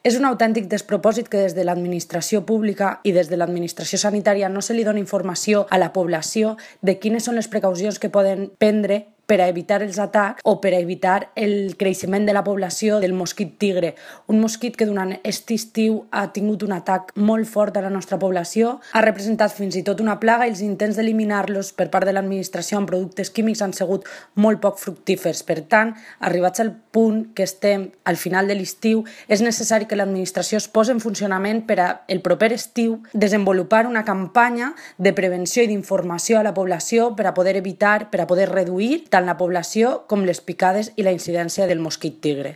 És un autèntic despropòsit que des de l'administració pública i des de l'administració sanitària no se li doni informació a la població de quines són les precaucions que poden prendre per a evitar els atacs o per a evitar el creixement de la població del mosquit tigre, un mosquit que durant aquest estiu ha tingut un atac molt fort a la nostra població, ha representat fins i tot una plaga i els intents d'eliminar-los per part de l'administració amb productes químics han sigut molt poc fructífers. Per tant, arribats al punt que estem al final de l'estiu, és necessari que l'administració es posi en funcionament per a el proper estiu desenvolupar una campanya de prevenció i d'informació a la població per a poder evitar, per a poder reduir tant la població com les picades i la incidència del mosquit tigre.